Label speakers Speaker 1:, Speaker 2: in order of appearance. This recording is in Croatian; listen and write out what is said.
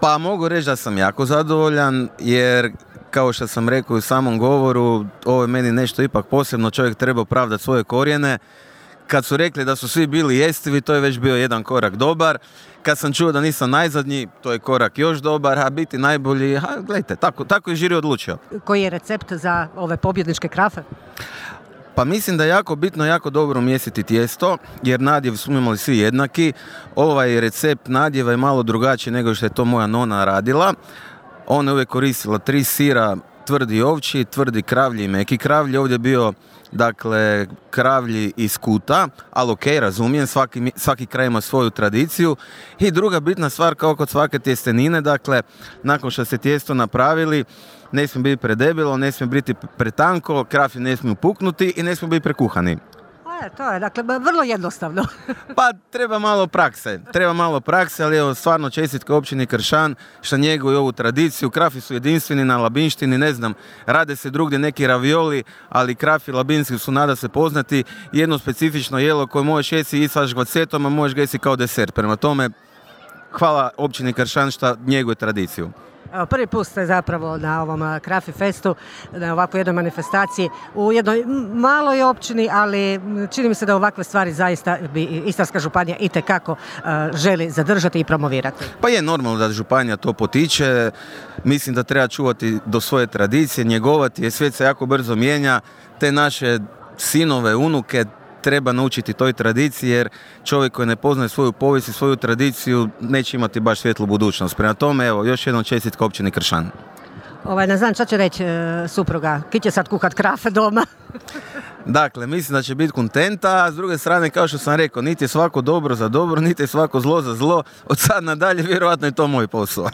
Speaker 1: Pa mogu reći da sam jako zadovoljan, jer kao što sam rekao u samom govoru, ovo je meni nešto ipak posebno, čovjek treba opravdati svoje korijene. Kad su rekli da su svi bili jestivi, to je već bio jedan korak dobar. Kad sam čuo da nisam najzadnji, to je korak još dobar, a biti najbolji, gledajte, tako je žiri odlučio.
Speaker 2: Koji je recept za ove pobjedničke krafe?
Speaker 1: Pa mislim da je jako bitno, jako dobro umjestiti tijesto, jer nadjev smo imali svi jednaki. Ovaj recept nadjeva je malo drugačiji nego što je to moja nona radila. Ona je uvijek koristila 3 sira, tvrdi ovčji, tvrdi kravlji i meki kravlji. Ovdje je bio, dakle, kravlji iz kuta, ali ok, razumijem, svaki kraj ima svoju tradiciju. I druga bitna stvar, kao kod svake tjestenine, dakle, nakon što ste tijesto napravili, ne smije biti predebelo, ne smije biti pretanko, kraflji ne smiju puknuti i ne smiju biti prekuhani.
Speaker 2: To je, dakle, vrlo jednostavno.
Speaker 1: Pa treba malo prakse, ali evo, stvarno čestitka općini Kršan što njeguju ovu tradiciju. Krafi su jedinstveni na Labinštini, ne znam, rade se drugdje neki ravioli, ali krafi labinski su nada se poznati. Jedno specifično jelo koje možeš jesti i sa žgvacetom, a možeš ga jesti kao desert. Prema tome, hvala općini Kršan što njeguje tradiciju.
Speaker 2: Evo, prvi put ste zapravo na ovom Krafi Festu, na ovakvoj jednoj manifestaciji u jednoj maloj općini, ali čini mi se da ovakve stvari zaista bi Istarska županija itekako želi zadržati i promovirati.
Speaker 1: Pa je normalno da županija to potiče, mislim da treba čuvati do svoje tradicije, njegovati, jer svijet se jako brzo mijenja, te naše sinove, unuke treba naučiti toj tradiciji, jer čovjek koji ne poznaje svoju povijest i svoju tradiciju neće imati baš svjetlu budućnost. Prema tome, evo, još jednom čestitka općini Kršan.
Speaker 2: Ne znam šta će reći supruga, ki će sad kuhat krafe doma?
Speaker 1: Dakle, mislim da će biti kontenta, a s druge strane, kao što sam rekao, niti je svako dobro za dobro, niti je svako zlo za zlo. Od sad nadalje, vjerojatno je to moj posao.